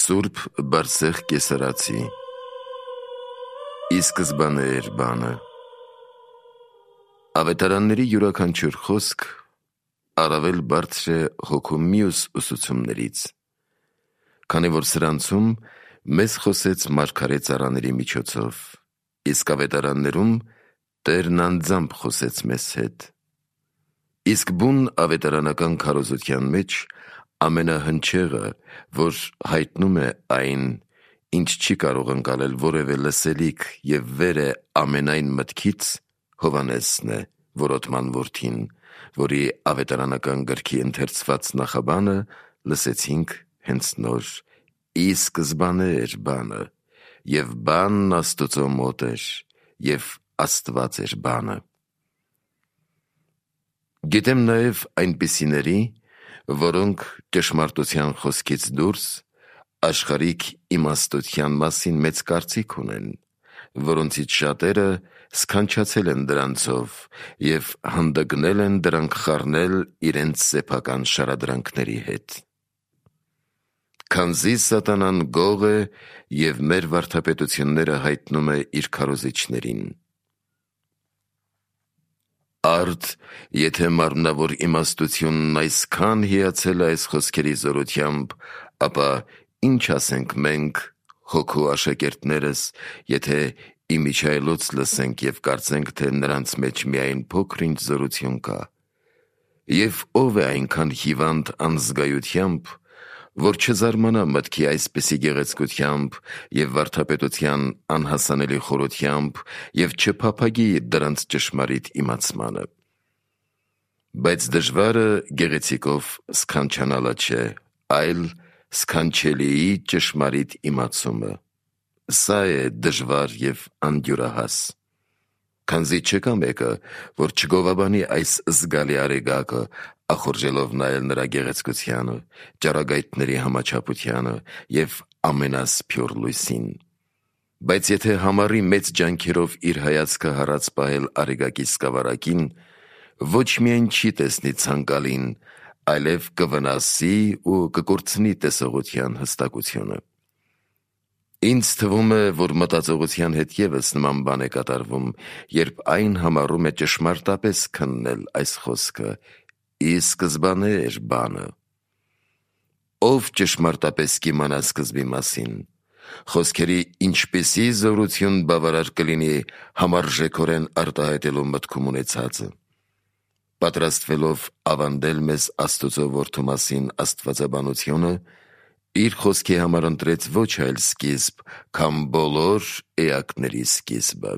Սուրբ Բարսեղ Կեսարացի Ի սկզբանե էր բանը։ Ավետարանների յուրաքանչյուր խոսք առավել բարձր է հոգու մյուս ուսուցումներից, քանի որ սրանցում մեզ խոսեց մարգարե ծառաների միջոցով, իսկ ավետարաններում Տերն անձամբ խոսեց մեզ հետ։ Իսկ բուն ավետարանական քարոզության մեջ ամենահնչեղը, որ հայտնում է այն, ինչ չի կարող ընկալել որևէ լսելիք և վեր է ամենայն մտքից, Հովհաննեսն է, որոտման որդին, որի ավետարանական գրքի ընթերցված նախաբանը լսեցինք հենց նոր. «Ի սկզբանե էր բանը, և բանն Աստծո մոտ էր, և Աստված էր բանը»։ Գիտեմ նաև այնպիսիների, որոնք ճշմարտության խոսքից դուրս աշխարհիկ իմաստության մասին մեծ կարծիք ունեն, որոնցից շատերը սքանչացել են դրանցով և հանդգնել են դրանք խառնել իրենց սեփական շարադրանքների հետ։ Քանզի սատանան գող է և մեր վարդապետությունները հայտնում է իր քարոզիչներին։ Արդ, եթե մարմնավոր իմաստությունն այսքան հիացել է այս խոսքերի զորությամբ, ապա ինչ ասենք մենք, հոգու աշակերտներս, եթե իմիջիայլոց լսենք և կարծենք, թե նրանց մեջ միայն փոքր-ինչ զորություն կա։ Եվ ով է այնքան հիվանդ անզգայությամբ, որ չզարմանա մտքի այսպիսի գեղեցկությամբ և վարդապետության անհասանելի խորությամբ և չփափագի դրանց ճշմարիտ իմացմանը։ Բայց դժվարը գեղեցիկով սքանչանալը չէ, այլ սքանչելիի ճշմարիտ իմացումը։ Սա է դժվար և անդյուրահաս։ Քանզի չկա մեկը, որ չգովաբանի այս զգալի արեգակը, ախորժելով նայել նրա գեղեցկությանը, ճառագայթների համաչափությանը և ամենասփյուռ լույսին։ Բայց եթե համառի մեծ ջանքերով իր հայացքը հառած պահել արեգակի սկավառակին, ոչ միայն չի տեսնի ցանկալին, այլև կվնասի ու կկորցնի տեսողության հստակությունը։ Ինձ թվում է, որ մտածողության հետ ևս նման բան է կատարվում, երբ այն համառում է ճշմարտապես քննել այս խոսքը. «Ի սկզբանե էր բանը»։ Ով ճշմարտապես կիմանա սկզբի մասին, խոսքերի ինչպիսի զորություն բավարար կլինի համարժեքորեն արտահայտելու մտքում ունեցածը։ Պատրաստվելով ավանդել մեզ Աստծո Որդու մասին աստվածաբանությունը, իր խոսքի համար ընտրեց ոչ այլ սկիզբ, քան բոլոր էակների սկիզբը։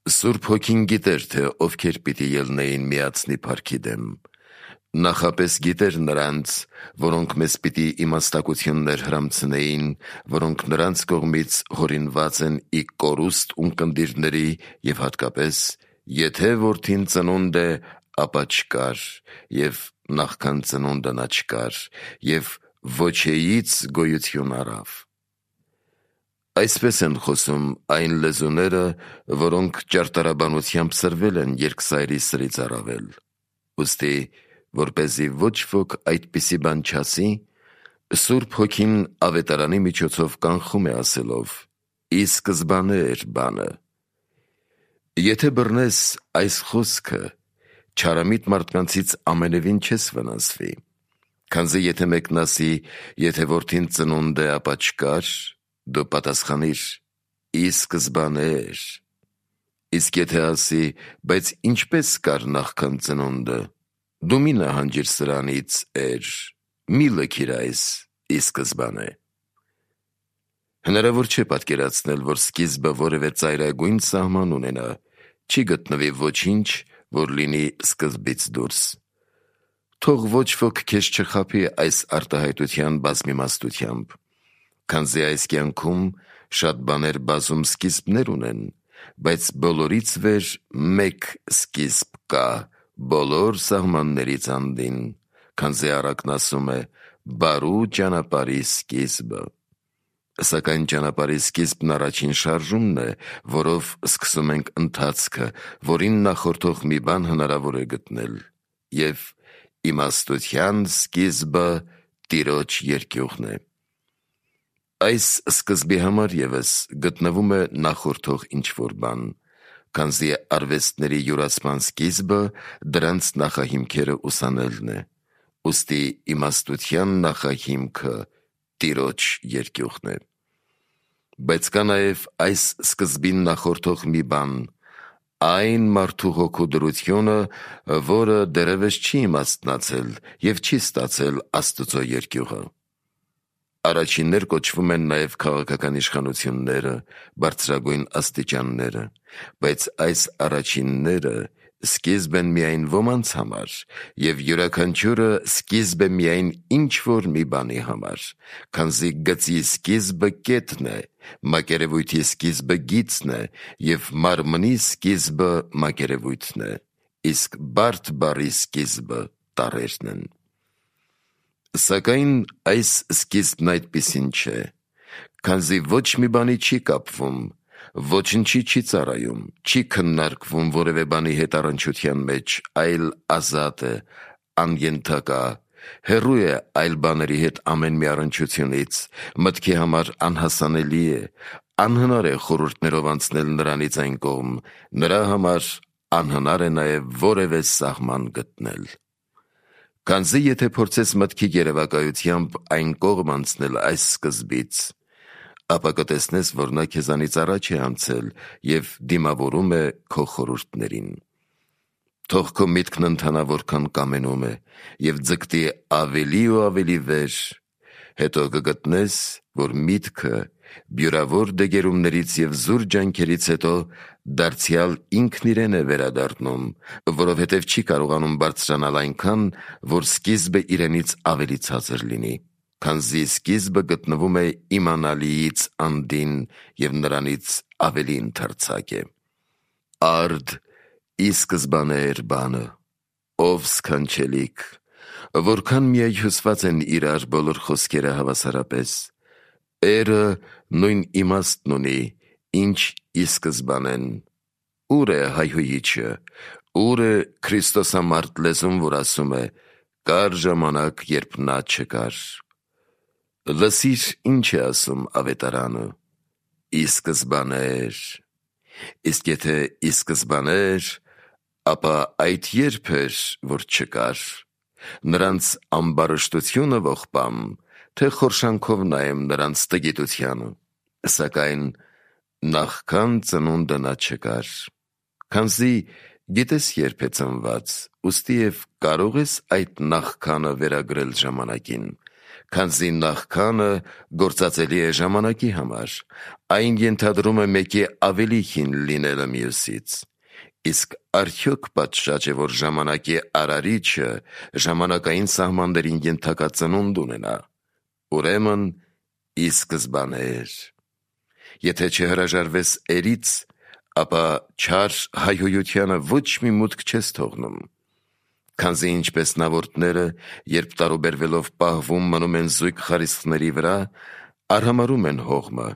Սուրբ Հոգին գիտեր, թե ովքեր պիտի ելնեին միացնի փառքի դեմ։ Նախապես գիտեր նրանց, որոնք մեզ պիտի իմաստակություններ հրամցնեին, որոնք նրանց կողմից հորինված են ի կորուստ ունկնդիրների և հատկապես, եթե որդին ծնունդ է, ապա չկար, և նախքան ծնունդը նա չկար, և ոչեից գոյություն առավ։ Այսպես են խոսում այն լեզուները, որոնք ճարտարաբանությամբ սրվել են երկսայրի սրից առավել։ Ուստի, որպեսզի ոչ ոք այդպիսի բան չասի, Սուրբ Հոգին ավետարանի միջոցով կանխում է ասելով. «Ի սկզբանե էր բանը»։ Եթե բռնես այս խոսքը, չարամիտ մարդկանցից ամենևին չես վնասվի, քանզի եթե մեկն ասի, եթե որդին ծնունդ է, ապա չկար, դու պատասխանիր. «Ի սկզբանե էր»։ Իսկ եթե ասի, բայց ինչպես կար նախքան ծնունդը, դու մի նահանջիր սրանից էր, մի լքիր այս «ի սկզբանե»։ Հնարավոր չէ պատկերացնել, որ սկիզբը որևէ ծայրագույն սահման ունենա, չի գտնվի ոչինչ, որ լինի սկզբից դուրս։ Թող ոչ ոք քեզ չխաբի այս արտահայտության բազմիմաստությամբ, քանզի այս կյանքում շատ բաներ բազում սկիզբներ ունեն, բայց բոլորից վեր մեկ սկիզբ կա բոլոր սահմաններից անդին, քանզի առակն ասում է. «Բարու ճանապարհի սկիզբը»։ Սակայն ճանապարհի սկիզբն առաջին շարժումն է, որով սկսում ենք ընթացքը, որին նախորդող մի բան հնարավոր է գտնել, և իմաստության սկիզբը Տիրոջ երկյուղն է։ այս սկզբի համար ևս գտնվում է նախորդող ինչ-որ բան, քանզի արվեստների յուրացման սկիզբը դրանց նախահիմքերը ուսանելն է, ուստի իմաստության նախահիմքը Տիրոջ երկյուղն է։ Բայց կա նաև այս սկզբին նախորդող մի բան, այն մարդու հոգու դրությունը, որը դեռևս չի իմաստնացել և չի ստացել Աստծո երկյուղը։ Առաջիններ կոչվում են նաև քաղաքական իշխանությունները, բարձրագույն աստիճանները, բայց այս առաջինները սկիզբ են միայն ոմանց համար, և յուրաքանչյուրը սկիզբ է միայն ինչ-որ մի բանի համար, քանզի գծի սկիզբը կետն է, մակերևույթի սկիզբը գիծն է, և մարմնի սկիզբը մակերևույթն է, իսկ բարդ բառի սկիզբը տառերն են։ Սակայն այս սկիզբն այդպիսին չէ, քանզի ոչ մի բանի չի կապվում, ոչնչի չի ծառայում, չի քննարկվում որևէ բանի հետ առնչության մեջ, այլ ազատ է, անյենթակա, հեռու է այլ բաների հետ ամեն մի առնչությունից, մտքի համար անհասանելի է, անհնար է խորհուրդներով անցնել նրանից այն կողմ, նրա համար անհնար է նաև որևէ սահման գտնել։ Քանզի եթե փորձես մտքի երևակայությամբ այն կողմ անցնել այս սկզբից, ապա կտեսնես, որ նա քեզանից առաջ է անցել և դիմավորում է քո խորհուրդներին։ Թող քո միտքն ընթանա որքան կամենում է և ձգտի ավելի ու ավելի վեր, հետո կգտնես, որ միտքը բյուրավոր դեգերումներից և զուր ջանքերից հետո դարձյալ ինքն իրեն է վերադառնում, որովհետև չի կարողանում բարձրանալ այնքան, որ սկիզբը իրենից ավելի ցածր լինի, քանզի սկիզբը գտնվում է իմանալիից անդին և նրանից ավելի ընդարձակ է։ Արդ ի սկզբանե էր բանը, ով սքանչելիք, որքան միայհյուսված են իրար բոլոր խոսքերը հավասարապես, Էրը նույն իմաստն ունի, ինչ ի սկզբանեն, ուր է հայհոյիչը, ուր է քրիստոսամարդ լեզուն, որ ասում է, կար ժամանակ, երբ նա չկար։ Լսիր ինչ է ասում ավետարանը, ի սկզբանե էր, իսկ եթե ի սկզբանե էր, ապա այդ երբ էր, որ չկար, նրանց ամբարշտությունը ողբամ, թե խորշանքով նայեմ նրանց տգիտությանը, սակայն նախքան ծնունդը նա չկար, քանզի գիտես երբ է ծնված, ուստի և կարող ես այդ նախքանը վերագրել ժամանակին, քանզի նախքանը գործածելի է ժամանակի համար, այն ենթադրում է մեկի ավելի հին լինելը մյուսից, իսկ արդյոք պատշաճ է, որ ժամանակի արարիչը ժամանակային սահմաններին ենթակա ծնունդ ունենա, ուրեմն ի սկզբանե էր։ Եթե չհրաժարվես էրից, ապա չար հայհոյությանը ոչ մի մուտք չես թողնում, քանզի ինչպես նավորդները, երբ տարուբերվելով պահվում մնում են զույգ խարիսխների վրա, արհամարհում են հողմը,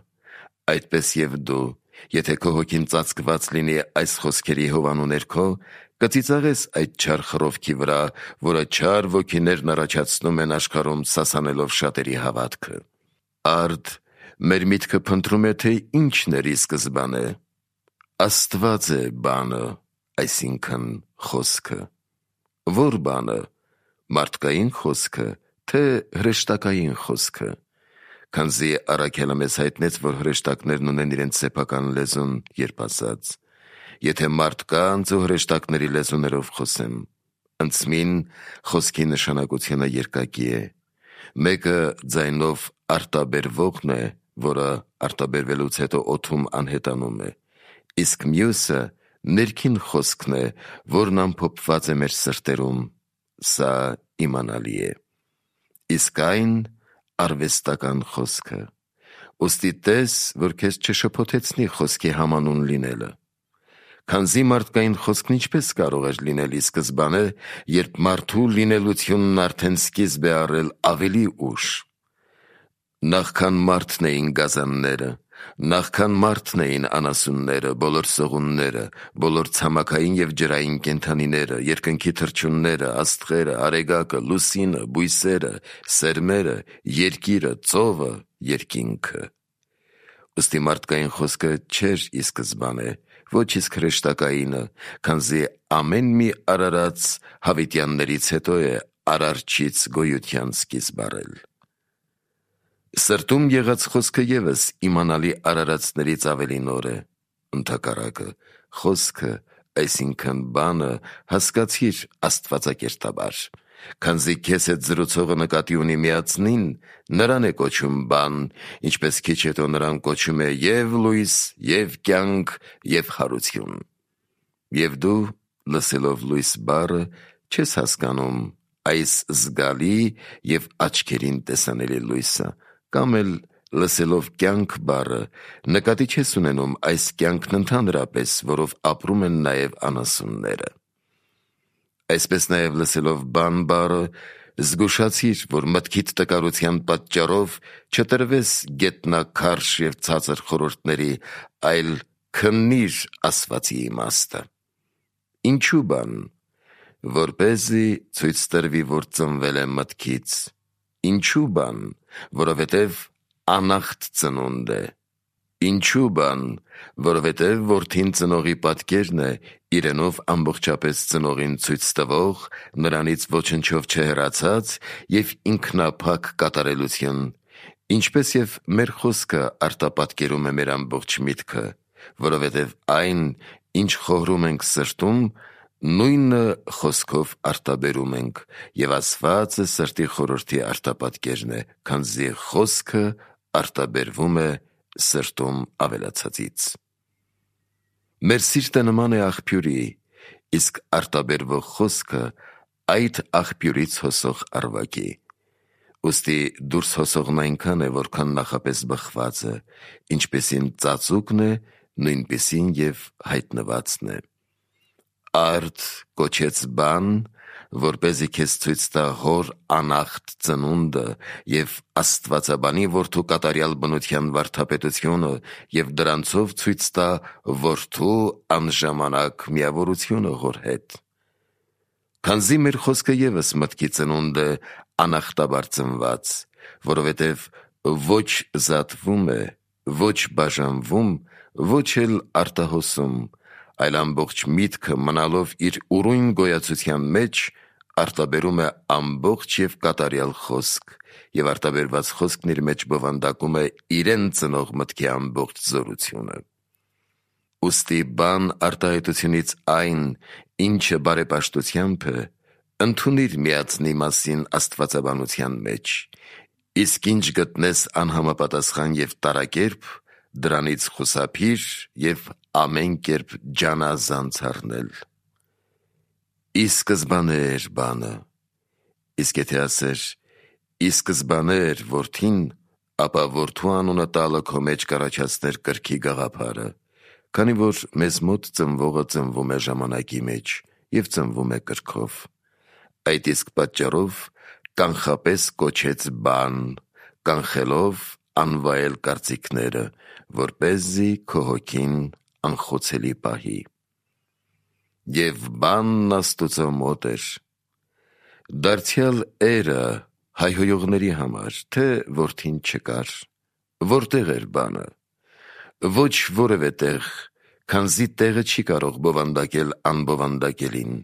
այդպես և դու, եթե քո հոգին ծածկված լինի այս խոսքերի հովանու ներքո, կծիծաղես այդ չար խռովքի վրա, որը չար ոգիներն առաջացնում են աշխարհում սասանելով շատերի հավատքը։ Արդ մեր միտքը փնտրում է, թե ինչն էր ի սկզբանե։ Աստված է բանը, այսինքն խոսքը։ Ո՞ր բանը, մարդկային խոսքը, թե հրեշտակային խոսքը, քանզի առաքյալը մեզ հայտնեց, որ հրեշտակներն ունեն իրենց սեփական լեզուն, երբ ասաց. եթե մարդկանց ու հրեշտակների լեզուներով խոսեմ, ընծմին խոսքի նշանակությունը երկակի է, մեկը ձայնով արտաբերվողն է, որը արտաբերվելուց հետո օդում անհետանում է, իսկ մյուսը ներքին խոսքն է, որն ամփոփված է մեր սրտերում, սա իմանալի է, իսկ այն արվեստական խոսքը, ուստի տես, որ քեզ չշփոթեցնի խոսքի համանուն լինելը, քանզի մարդկային խոսքն ինչպես կարող էր լինել ի սկզբանե, երբ մարդու լինելությունն արդեն սկիզբ է առել ավելի ուշ։ Նախքան մարդն էին գազանները, Նախքան մարդն էին անասունները, բոլոր սողունները, բոլոր ցամաքային և ջրային կենդանիները, երկնքի թռչունները, աստղերը, արեգակը, լուսինը, բույսերը, սերմերը, երկիրը, ծովը, երկինքը։ Ըստի մարդկային խոսքը չէր ի սկզբանե, ոչ իսկ հրեշտակայինը, քանզի ամեն մի արարած հավիտյաններից հետո է արարչից գոյության սկիզբ առել։ Սրտում եղած խոսքը ևս իմանալի արարածներից ավելի նոր է, ընդհակառակը, խոսքը, այսինքն բանը, հասկացիր աստվածակերտաբար, քանզի քեզ հետ զրուցողը նկատի ունի միածնին, նրան է կոչում բան, ինչպես քիչ հետո նրան կոչում է և լույս, և կյանք, և հարություն։ Եվ դու, լսելով լույս բառը, չես հասկանում այս զգալի և աչքերին տեսանելի լույսը, կամ էլ լսելով կյանք բառը, նկատի չես ունենում այս կյանքն ընդհանրապես, որով ապրում են նաև անասունները։ Այսպես նաև լսելով բան բառը, զգուշացիր, որ մտքիդ տկարության պատճառով չտրվես գետնաքարշ և ցածր խորհուրդների, այլ քննիր ասվածի իմաստը։ Ինչու բան, որպեսզի ցույց տրվի, որ ծնվել է մտքից։ Ինչու բան, որովհետև անախտ ծնունդ է։ Ինչու բան, որովհետև որդին ծնողի պատկերն է, իրենով ամբողջապես ծնողին ցույց տվող, նրանից ոչնչով չհեռացած և ինքնափակ կատարելություն, ինչպես և մեր խոսքը արտապատկերում է մեր ամբողջ միտքը, որովհետև այն, ինչ խորհում ենք սրտում, նույնը խոսքով արտաբերում ենք, և ասվածը սրտի խորհրդի արտապատկերն է, քանզի խոսքը արտաբերվում է սրտում ավելացածից։ Մեր սիրտը նման է աղբյուրի, իսկ արտաբերվող խոսքը այդ աղբյուրից հոսող առվակի։ Ուստի դուրս հոսողն այնքան է, որքան նախապես բխված է, ինչպեսին ծածուկն է, նույնպիսին և հայտնվածն է։ Արդ կոչեց բան, որպեսզի քեզ ցույց տա հոր անախտ ծնունդը և աստվածաբանի որդու կատարյալ բնության վարդապետությունը և դրանցով ցույց տա որդու անժամանակ միավորությունը հոր հետ։ Քանզի մեր խոսքը ևս մտքի ծնունդ է անախտաբար ծնված, որովհետև ոչ զատվում է, ոչ բաժանվում, ոչ էլ արտահոսում, այլ ամբողջ միտքը մնալով իր ուրույն գոյացության մեջ, արտաբերում է ամբողջ և կատարյալ խոսք, և արտաբերված խոսքն իր մեջ բովանդակում է իրեն ծնող մտքի ամբողջ զորությունը։ Ուստի բան արտահայտությունից այն, ինչը բարեպաշտությամբ է, ընդունիր միածնի մասին աստվածաբանության մեջ, իսկ ինչ գտնես անհամապատասխան և տարակերպ, դրանից խուսափիր և ամեն կերպ ջանազանց առնել։ Ի սկզբանե էր բանը, իսկ եթե ասեր ի սկզբանե էր որդին, ապա որդու անունը տալը քո մեջ կառաջացներ կրքի գաղափարը, քանի որ մեզ մոտ ծնվողը ծնվում է ժամանակի մեջ և ծնվում է կրքով։ Այդ իսկ պատճառով կանխապես կոչեց բան, կանխելով անվայել կարծիքները, որպեսզի քո հոգին անխոցելի պահի։ Եվ բանն Աստուծո մոտ էր։ Դարձյալ էրը հայհոյողների համար, թե որդին չկար, որտեղ էր բանը։ Ոչ որևէ տեղ, քանզի տեղը չի կարող բովանդակել անբովանդակելին։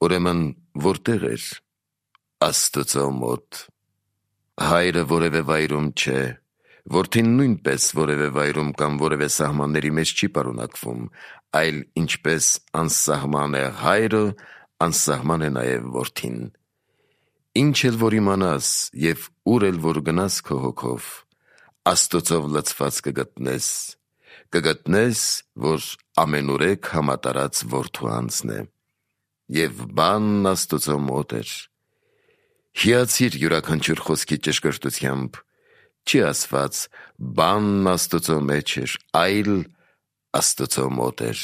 Ուրեմն որտեղ էր։ Աստուծո մոտ։ Հայրը որևէ վայրում չէ, որդին նույնպես որևէ վայրում կամ որևէ սահմանների մեջ չի պարունակվում, այլ ինչպես անսահման է հայրը, անսահման է նաև որդին։ Ինչ էլ որ իմանաս և ուր էլ որ գնաս քո հոգով, Աստուծով լցված կգտնես, որ ամենուրեք համատարած որդու անձն է։ Եվ բանն Աստուծո մոտ էր։ Հիացիր յուրաքանչյուր խոսքի ճշգրտությամբ, չի ասված բանն Աստուծո մեջ էր, այլ Աստուծո մոտ էր,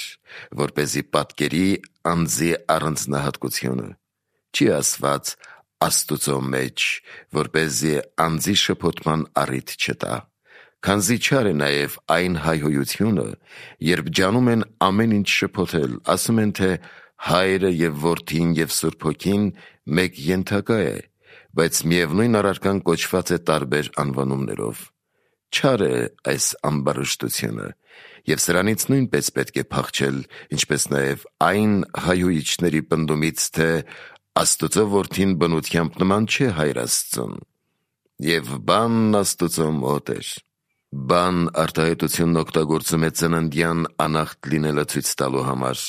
որպեսզի պատկերի անձի առանձնահատկությունը, չի ասված Աստուծո մեջ, որպեսզի անձի շփոթման առիթ չտա, Քանզի չար է նաև այն հայհոյությունը, երբ ջանում են ամեն ինչ շփոթել, ասում են, թե Հայրը և Որդին և Սուրբ Հոգին մեկ ենթակա է, բայց միևնույն առարկան կոչված է տարբեր անվանումներով։ Չար է այս ամբարշտությունը, և սրանից նույնպես պետք է փախչել, ինչպես նաև այն հայհոյիչների պնդումից, թե Աստծո Որդին բնությամբ նման չէ Հայր Աստծուն, և բանն Աստծո մոտ էր։ Բան արտահայտությունն օգտագործում է ծննդյան անախտ լինելը ցույց տալու համար,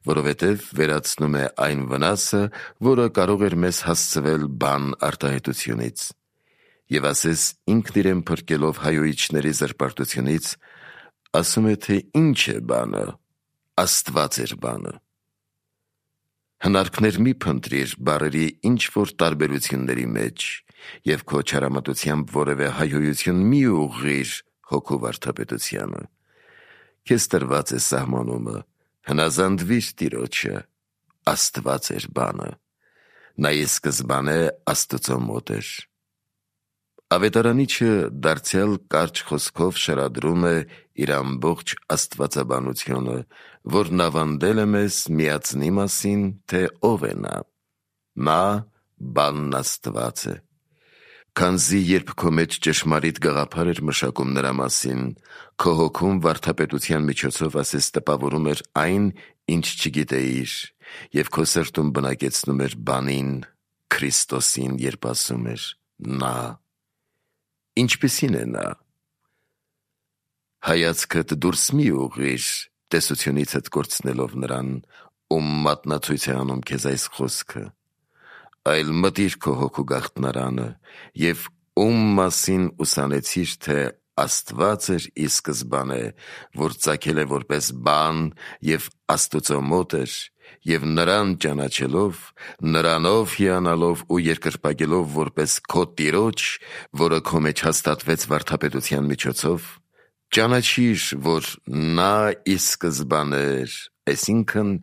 որովհետև վերացնում է այն վնասը, որը կարող էր մեզ հասցվել բան արտահայտությունից։ Եվ ասես ինքն իրեն փրկելով հայհոյիչների զրպարտությունից, ասում է, թե ինչ է բանը, Աստված էր բանը։ Հնարքներ մի փնտրիր բառերի ինչ-որ տարբերությունների մեջ և քո չարամտությամբ որևէ հայհոյություն մի ուղղիր հոգու վարդապետությանը։ Քեզ տրված է սահմանումը, հնազանդվիր Տիրոջը, Աստված էր բանը, նա ի սկզբանե Աստծո մոտ էր։ Ավետարանիչը դարձյալ կարճ խոսքով շարադրում է իր ամբողջ աստվածաբանությունը, որն ավանդել է մեզ միածնի մասին, թե ով է նա։ Նա բանն Աստված է։ Քանզի երբ քո մեջ ճշմարիտ գաղափար էր մշակում նրա մասին, քո հոգում վարդապետության միջոցով ասես տպավորում էր այն, ինչ չգիտեիր, և քո սրտում բնակեցնում էր բանին, Քրիստոսին, երբ ասում էր «Նա»։ Ինչպիսին է նա։ Հայացքդ դուրս մի ուղղիր, տեսությունիցդ կորցնելով նրան, ում մատնացույց է անում քեզ այս խոսքը, այլ մտիր քո հոգու գաղտնարանը և ում մասին ուսանեցիր, թե Աստված էր ի սկզբանե, որ ծագել է որպես բան և Աստծո մոտ էր, և նրան ճանաչելով, նրանով հիանալով ու երկրպագելով որպես քո Տիրոջ, որը քո մեջ հաստատվեց վարդապետության միջոցով, ճանաչիր, որ նա ի սկզբանե էր, այսինքն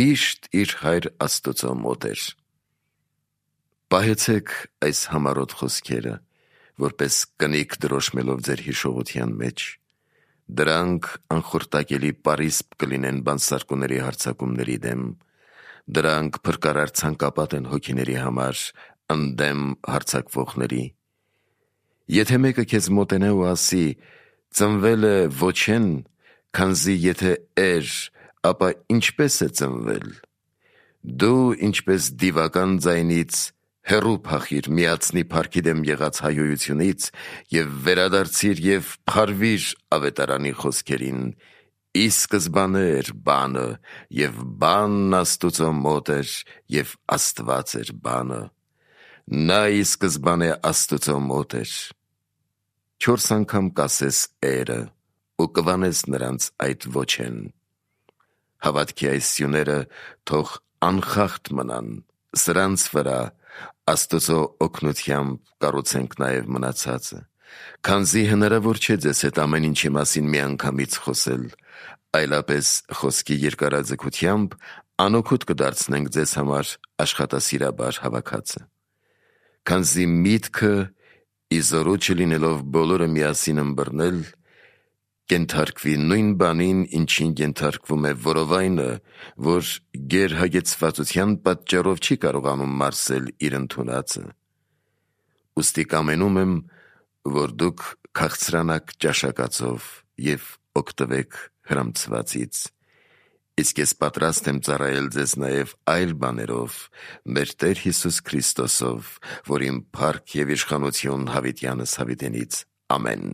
միշտ իր Հայր Աստծո մոտ էր։ Պահեցեք այս համառոտ խոսքերը, որպես կնիկ դրոշմելով ձեր հիշողության մեջ։ Դրանք անխորտակելի պարիսպ կլինեն բանսարկուների հարձակումների դեմ, դրանք փրկարար ցանկապատ են հոգիների համար, ընդդեմ հարձակվողների։ Եթե մեկը քեզ մոտենա ու ասի, ծնվել է ոչեն, քանզի եթե էր, ապա ինչպես է ծնվել, դու ինչպես դիվական ձայնից հեռու փախիր միածնի փառքի դեմ եղած հայհոյությունից և վերադարձիր և փարվիր ավետարանի խոսքերին. «Ի սկզբանե էր բանը, և բանն Աստծո մոտ էր, և Աստված էր բանը։ Նա ի սկզբանե Աստծո մոտ էր»։ 4 անգամ կասես «էրը» ու կվանես նրանց այդ ոչեն։ Հավատքի այս սյուները թող անխախտ մնան, սրանց վրա Աստծո օգնությամբ կառուցենք նաև մնացածը, քանզի հնարավոր չէ ձեզ հետ ամեն ինչի մասին միանգամից խոսել, այլապես խոսքի երկարաձգությամբ անօգուտ կդարձնենք ձեզ համար աշխատասիրաբար հավաքածը։ Քանզի միտքը ի զորու չլինելով բոլորը միասին ըմբռնել, կենթարկվի նույն բանին, ինչին կենթարկվում է որովայնը, որ գերհագեցվածության պատճառով չի կարողանում մարսել իր ընդունածը։ Ուստի կամենում եմ, որ դուք քաղցրանաք ճաշակածով և օգտվեք հրամցվածից, իսկ ես պատրաստ եմ ծառայել ձեզ նաև այլ բաներով, մեր Տեր Հիսուս Քրիստոսով, որին փառք և իշխանություն հավիտյանս հավիտենից։ Ամեն։